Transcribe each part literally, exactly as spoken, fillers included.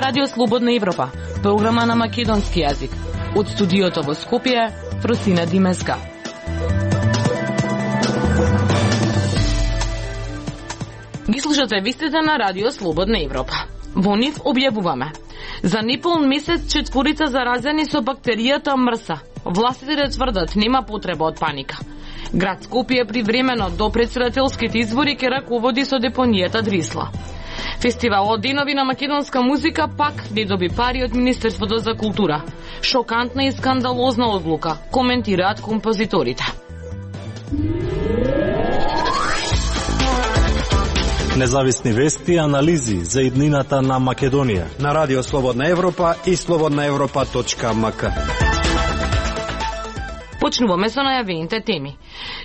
Радио Слободна Европа, програма на македонски јазик. Од студиото во Скопје, Фросина Димеска. Ги слушате вистите на Радио Слободна Европа. Во нив објавуваме: за неполн месец четворица заразени со бактеријата мрса. Властите тврдат нема потреба од паника. Град Скопје привремено до претседателските избори ќе раководи со депонијата Дрисла. Фестивалот Денови на македонска музика пак не доби пари од Министерството за култура. Шокантна и скандалозна одлука, коментираат композиторите. Независни вести и анализи за иднината на Македонија на Радио Слободна Европа и слободна европа точка ем ка. Почнуваме со најавените теми.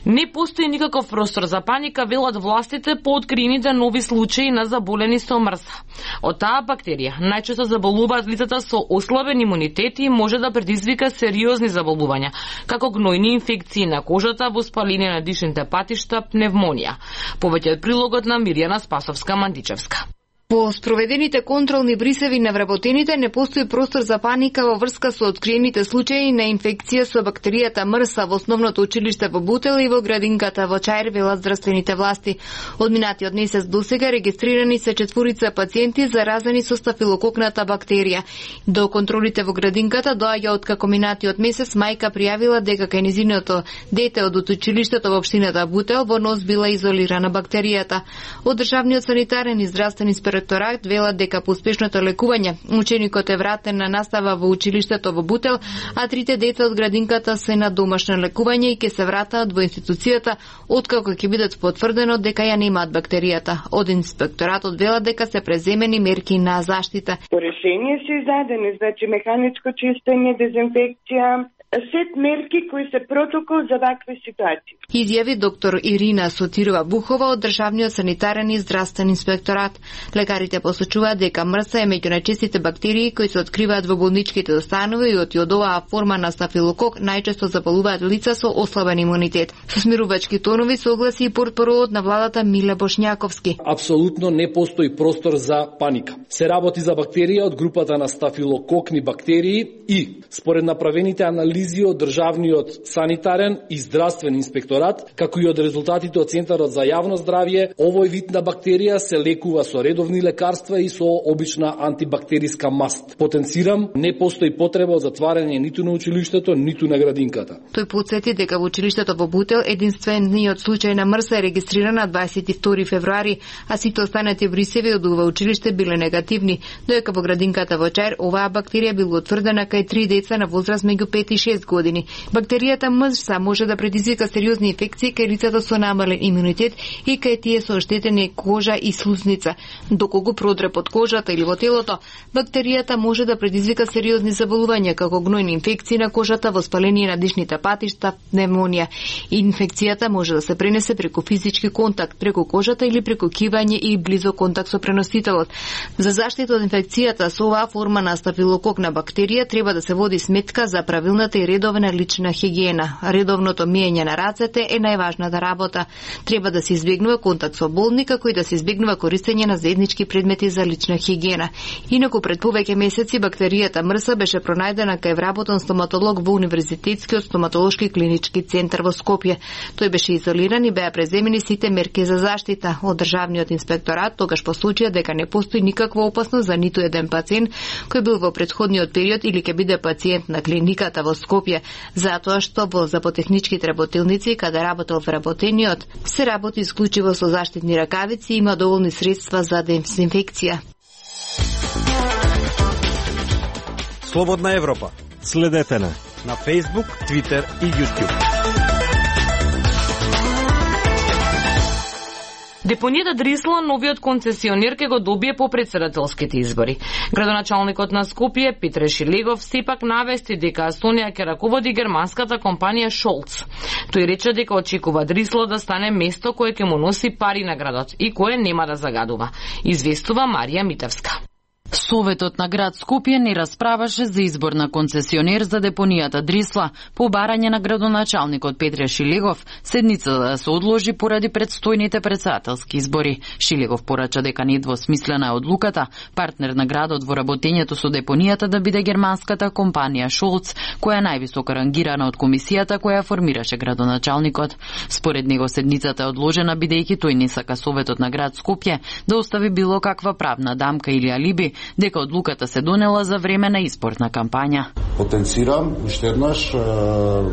Не постои никаков простор за паника, велат властите по откриените нови случаи на заболени со мрса. Од таа бактерија најчесто заболуваат лицата со ослабен имунитет и може да предизвика сериозни заболувања, како гнојни инфекции на кожата, воспаление на дишните патишта, пневмонија. Повеќе од прилогот на Мирјана Спасовска-Мандичевска. По спроведените контролни брисеви на вработените не постои простор за паника во врска со откриените случаи на инфекција со бактеријата мрса во основното училиште во Бутел и во градинката во Чаир, велат здравствените власти. Од минатиот месец досега регистрирани се четворица пациенти заразени со стафилококната бактерија. До контролите во градинката доаѓа откако минатиот месец мајка пријавила дека кај низиното дете од училиштето во општината Бутел во нос била изолирана бактеријата. Од државниот санитарен и здравствен инспекторат велат дека по успешното лекување ученикот е вратен на настава во училиштето во Бутел, а трите деца од градинката се на домашно лекување и ќе се вратат во институцијата откако ќе бидат потврдено дека ја немаат бактеријата. Од инспекторатот велат дека се преземени мерки на заштита. По решение се издадени, значи механичко чистење, дезинфекција, сет мерки кои се протокол за вакви ситуации. Изјави доктор Ирина Сотирова Бухова од државниот санитарен и здравствен инспекторат. Лекарите посочуваат дека мрса е меѓу најчестите бактерии кои се откриваат во болничките установи и од оваа форма на стафилокок најчесто заболуваат лица со ослабен имунитет. Со смирувачки тонови согласи и портпароот на владата Миле Бошњаковски. Апсолутно не постои простор за паника. Се работи за бактерија од групата на стафилококни бактерии и според направените анализи од државниот санитарен и здравствен инспекторат, како и од резултатите од Центарот за јавно здравје, овој вид на бактерија се лекува со редовни лекарства и со обична антибактериска маст. Потенцирам, не постои потреба од затварање ниту на училиштето, ниту на градинката. Тој потсети дека во училиштето во Бутел единствениот случај на мрса е регистриран на дваесет и втори февруари, а сите останати брисеви од ова училиште биле негативни, додека во градинката во Чаир оваа бактерија била утврдена кај три деца на возраст меѓу пет и шест години. Бактеријата мрса може да предизвика сериозни инфекции кај лицата со намален имунитет и кај тие со оштетени кожа и слузница. Доколку продре под кожата или во телото, бактеријата може да предизвика сериозни заболувања како гнојни инфекции на кожата, воспаление на дишните патишта, пневмонија. Инфекцијата може да се пренесе преку физички контакт, преку кожата или преку кивање и близок контакт со преносителот. За заштита од инфекцијата со оваа форма на стафилококна бактерија треба да се води сметка за правилната и редовна лична хигиена. Редовното миење на рацете е најважната работа. Треба да се избегнува контакт со болни, како и да се избегнува користење на заеднички предмети за лична хигиена. Инаку пред повеќе месеци бактеријата мрса беше пронајдена кај вработен стоматолог во Универзитетскиот стоматолошки клинички центар во Скопје. Тој беше изолиран и беа преземени сите мерки за заштита. Од државниот инспекторат тогаш посочија дека не постои никаква опасност за ниту еден пациент кој бил во претходниот период или ќе биде пациент на клиниката во Скопје, затоа што во заботехничките работилници каде работел вработениот се работи исклучиво со заштитни ракавици и има доволни средства за дезинфекција. Слободна Европа. Следете на на Facebook, Twitter и YouTube. Депонијата Дрисла новиот концесионер ќе го добие по претседателските избори. Градоначалникот на Скопје Петре Шилегов сепак навести дека Естонија ќе раководи германската компанија Шолц. Тој рече дека очекува Дрисла да стане место кое ќе му носи пари на градот и кое нема да загадува. Известува Марија Митевска. Советот на град Скопје не расправаше за избор на концесионер за депонијата Дрисла по барање на градоначалникот Петре Шилегов, седницата да се одложи поради предстојните претседателски избори. Шилегов порача дека недвосмислена е одлуката партнер на градот во работењето со депонијата да биде германската компанија Шолц, која е највисоко рангирана од комисијата која формираше градоначалникот. Според него седницата е одложена бидејќи тој не сака Советот на град Скопје да остави било каква правна дамка или алиби дека одлуката се донела за време на изборна кампања. Потенцирам уште еднаш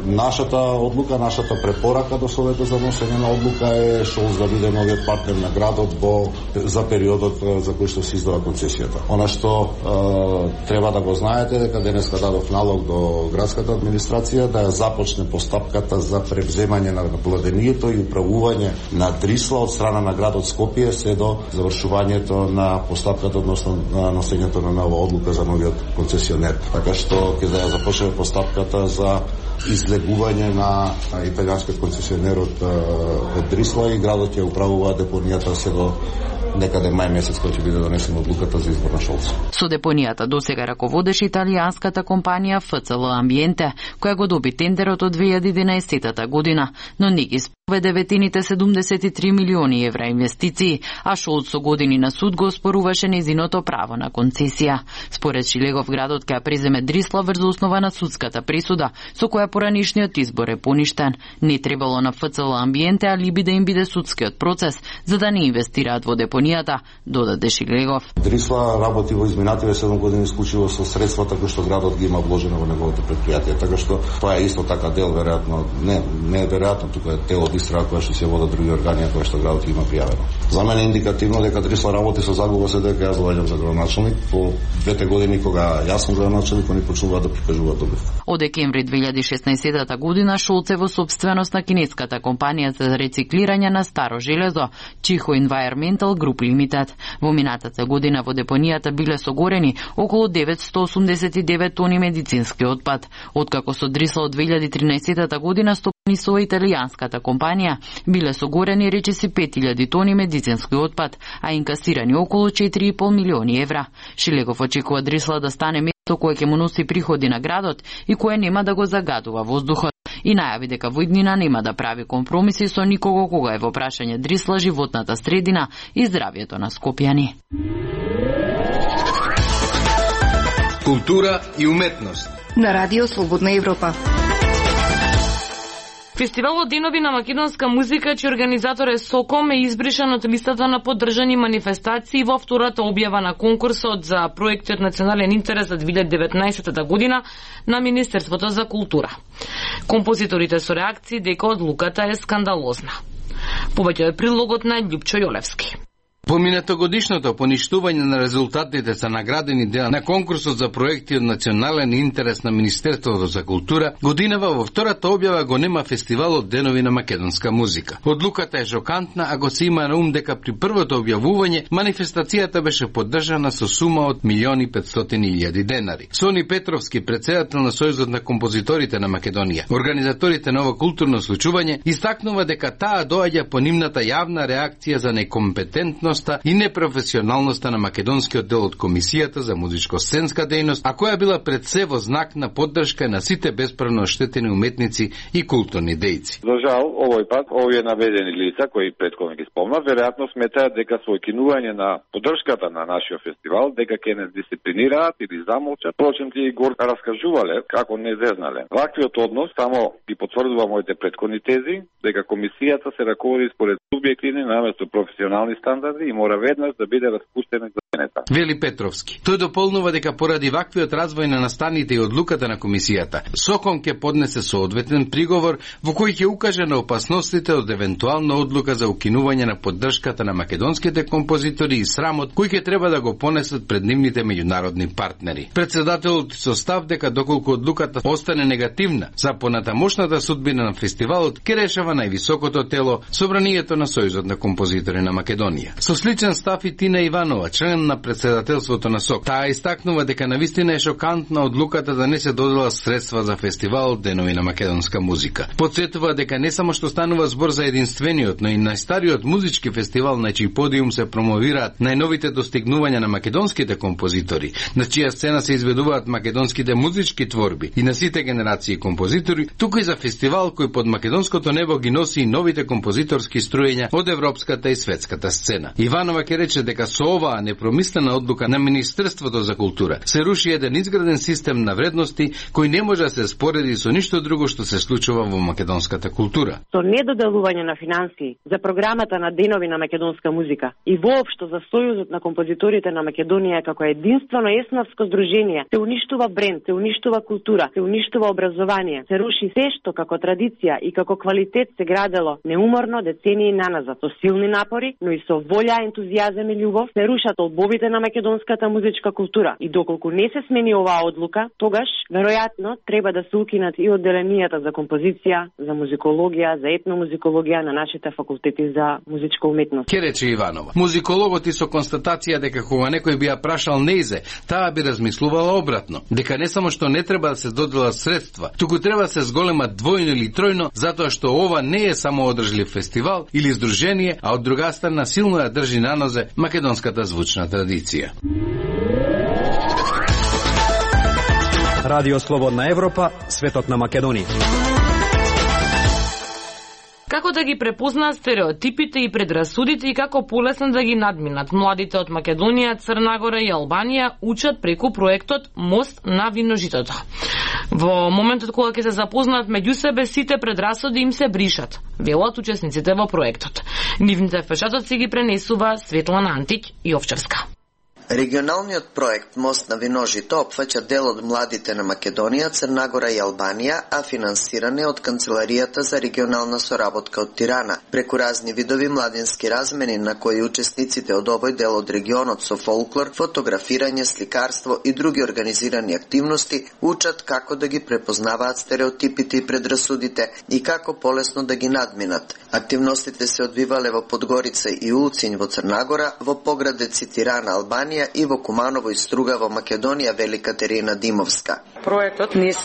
нашата одлука, нашата препорака до Советот за носење на одлука е Шолц да биде новиот партнер на градот во за периодот за кој што се издава концесијата. Она што е, треба да го знаете дека денеска дадов налог до градската администрација да ја започне постапката за превземање на владението и управување на Дрисла од страна на градот Скопје се до завршувањето на постапката односно на носењето на нова одлука за новиот концесионер. Така што ќе да ја започне постапката за излегување на италијанскиот концесионер од, од Дрисла и градот ќе управува депонијата се до некаде мај месец кој ќе биде донесена одлуката за избор на Шолц. Со депонијата досега раководеше италијанската компанија Ф Ц Л Амбиенте, која го доби тендерот од две илјади и единаесетта година, но не ги спроведе ветените седумдесет и три милиони евра инвестиции, а Шолц со години на суд го оспоруваше незиното право на концесија. Според Шилегов, градот ќе ја преземе Дрисла врз основа на судската присуда, со која поранишниот избор е поништен. Не требало на Ф Ц Л Амбиенте алиби да им биде судскиот процес, за да не инвестираат во депонијата, додаде Шилегов. Дрисла работи во изминативе седум години исклучиво со средствата кои што градот ги има вложено во неговото предпријатие, така што тоа е исто така дел веројатно, не не е веројатно, тука е дел од истрага која што се водат други органи кои што градот ги има пријавено. За мене е индикативно дека Дрисла работи со загуба се дека јас доаѓам за градоначалник по двете години кога јас сум градоначалник, они почнуваат да прикажуваат добив. Од декември две илјади и шеснаесетта година Шолц е во сопственост на кинеската компанија за рециклирање на старо железо Чихо Environmental Group Limited. Во минатата година во депонијата биле согорени околу деветстотини осумдесет и девет тони медицински отпад. Откако со Дрисла од две илјади и тринаесетта година стопани со италијанската компанија, биле согорени речиси пет илјади тони медицински отпад, а инкасирани околу четири и пол милиони евра. Шилегов очекува Дрисла да стане место кое ќе му носи приходи на градот и кое нема да го загадува воздухот. И најави дека во иднина нема да прави компромиси со никого кога е во прашање Дрисла, животната средина и здравјето на скопјани. Култура и уметност на Радио Слободна Европа. Фестивалот Денови на македонска музика, чиј организатор е Соком, е избришан од листата на поддржани манифестации во втората објава на конкурсот за проектот Национален интерес за две илјади и деветнаесетта година на Министерството за култура. Композиторите со реакции дека одлуката е скандалозна. Повеќе е прилогот на Љупчо Јолевски. Поминатогодишното поништување на резултатите за наградени дела на конкурсот за проекти од национален интерес на Министерството за култура, годинава во втората објава го нема фестивалот Денови на македонска музика. Одлуката е шокантна, ако се има на ум дека при првото објавување манифестацијата беше поддржана со сума од милиони петстотини илјади денари. Сони Петровски, председател на Сојузот на композиторите на Македонија, организаторите на ова културно случување, истакнува дека таа доаѓа по нивната јавна реакција за некомпетентност и непрофесионалноста на македонскиот дел од Комисијата за музичко-сценска дејност, а која била пред се во знак на поддршка на сите бесправно оштетени уметници и културни дејци. За жал, овој пат, овие наведени лица, кои претходно ги спомнав, веројатно сметаат дека со кинување на поддршката на нашиот фестивал, дека ќе не дисциплинираат или замолчат. Впрочем, тие го раскажувале како не зезнале. Ваквиот однос само ги потврдува моите претходни тези, дека Комисијата се раководи според субјективни наместо професионални стандарди и мора веднаш да биде распуштена за менета. Вели Петровски. Тој дополнува дека поради ваквиот развој на настаните и одлуката на Комисијата, Соком ќе поднесе соодветен приговор во кој ќе укаже на опасностите од евентуална одлука за укинување на поддршката на македонските композитори и срамот кој ќе треба да го понесат пред нивните меѓународни партнери. Председателот со став дека доколку одлуката остане негативна за понатамошната судбина на фестивалот, ќе решава највисокото тело, Собранието на Сојузот на композитори на Македонија. Со сличен став и Тина Иванова, член на председателството на СОК. Таа истакнува дека навистина е шокантна одлуката да не се додела средства за фестивал Денови на македонска музика. Подсетува дека не само што станува збор за единствениот, но и најстариот музички фестивал на чиј подиум се промовираат најновите достигнувања на македонските композитори, на чија сцена се изведуваат македонските музички творби и на сите генерации композитори, туку и за фестивал кој под македонското небо ги носи и новите композиторски струења од европската и светската сцена. Иванова ќе рече дека со оваа непромислена одлука на Министерството за култура се руши еден изграден систем на вредности кој не може да се спореди со ништо друго што се случува во македонската култура. Со недоделување на финансии за програмата на Денови на македонска музика и воопшто за Сојузот на композиторите на Македонија како единствено еснавско здружение, се уништува бренд, се уништува култура, се уништува образование, се руши се што како традиција и како квалитет се градело неуморно децении наназад. Со силни напори, но и со волја, ентузијазам и љубов се рушат олбовите на македонската музичка култура. И доколку не се смени оваа одлука, тогаш веројатно треба да се укинат и одделенијата за композиција, за музикологија, за етномузикологија на нашите факултети за музичка уметност. Ке рече Иванова. Музикологот и со констатација дека кога некој би ја прашал неизе, таа би размислувала обратно, дека не само што не треба да се доделат средства, туку треба да се зголемат двојно или тројно, затоа што ова не е само одржлив фестивал или здружение, а од друга страна силно ја држи на нозе македонската звучна традиција. Радио Слободна Европа, светот на Македонија. Како да ги препознаат стереотипите и предрасудите и како полесно да ги надминат. Младите од Македонија, Црна Гора и Албанија учат преку проектот Мост на виножитото. Во моментот кога ќе се запознаат меѓу себе, сите предрасуди им се бришат, велат учесниците во проектот. Нивните впечатоци ги пренесува Светлана Антик и Овчарска. Регионалниот проект Мост на виножито опфаќа дел од младите на Македонија, Црна Гора и Албанија, а финансиране од Канцеларијата за регионална соработка од Тирана. Преку разни видови младински размени на кои учесниците од овој дел од регионот со фолклор, фотографирање, сликарство и други организирани активности учат како да ги препознаваат стереотипите и предрасудите и како полесно да ги надминат. Активностите се одвивале во Подгорица и Улцин во Црна Гора, во поградеци Тирана, Албанија и во Куманово и Струга во Македонија, вели Катерина Димовска. Проектот низ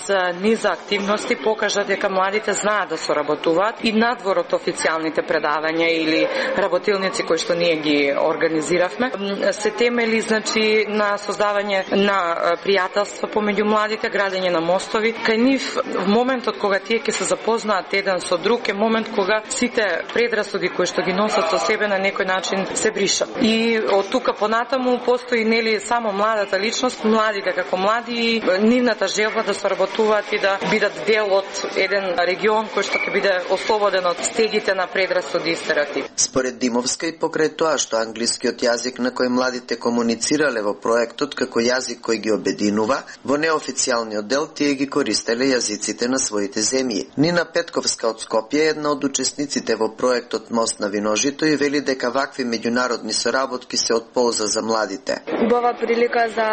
низа активности покажа дека младите знаат да соработуваат и надвор од официјалните предавања или работилници кои што ние ги организиравме, се темели значи на создавање на пријателство помеѓу младите, градење на мостови. Кај нив во моментот кога тие ќе се запознаат еден со друг е момент кога сите предрасуди кои што ги носат со себе на некој начин се бришат. И од тука понатаму постои нели само младата личност, младите како млади и нивната желба да соработуваат и да бидат дел од еден регион кој што ќе биде ослободен од стегите на предрасуди и стереотипи. Според Димовска и покрај тоа што англискиот јазик на кој младите комуницирале во проектот како јазик кој ги обединува, во неофицијалниот дел тие ги користеле јазиците на своите земји. Нина Петковска од Скопје, една од учесниците во проектот Мост на виножито, и вели дека вакви меѓународни соработки се од полза за младите. Убава прилика за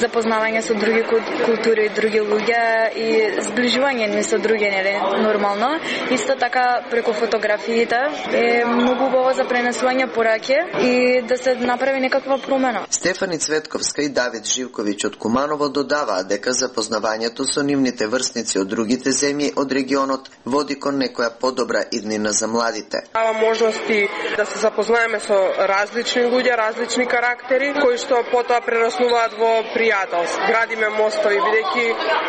запознавање со други култури и други луѓе и зближување ни со други, нели, нормално. Исто така преку фотографиите е многу убаво за пренесување пораки и да се направи некаква промена. Стефани Цветковска и Давид Живковиќ од Куманово додаваат дека запознавањето со нивните врсници од другите земји од регионот води кон некоја подобра иднина за младите. Дава можности да се запознаеме со различни луѓе, различни карактери, кои што потоа прераснуваат во пријателство. Градиме мостови, бидејќи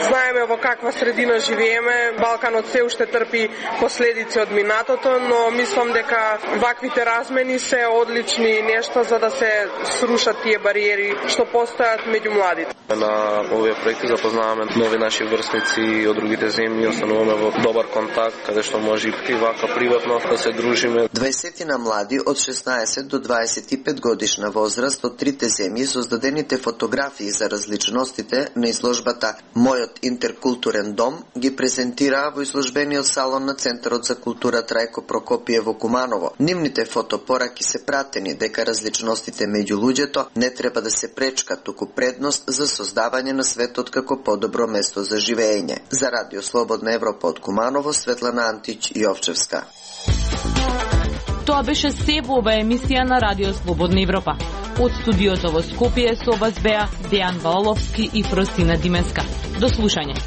знаеме во каква средина живееме. Балканот се уште трпи последици од минатото, но мислам дека ваквите размени се одлични нешта за да се срушат тие бариери што постојат меѓу младите. На овие проекти запознаваме нови наши врсници од другите земји, остануваме во добар контакт, каде што може и вака приватно да се дружиме. дваесет млади од шеснаесет до дваесет и пет годишна возраст од трите земји создадените фотографии за различностите на изложбата Мојот интеркултурен дом ги презентираа во изложбениот салон на Центарот за култура Трајко Прокопиев во Куманово. Нивните фотопораки се пратени дека различностите меѓу луѓето не треба да се пречка, туку предност за создавање на светот како подобро место за живеење. За Радио Слободна Европа од Куманово, Светлана Антич и Овчевска. Тоа беше се во ова емисија на Радио Слободна Европа. Од студиото во Скопје со вас беа Дејан Ваоловски и Фростина Дименска. До слушање.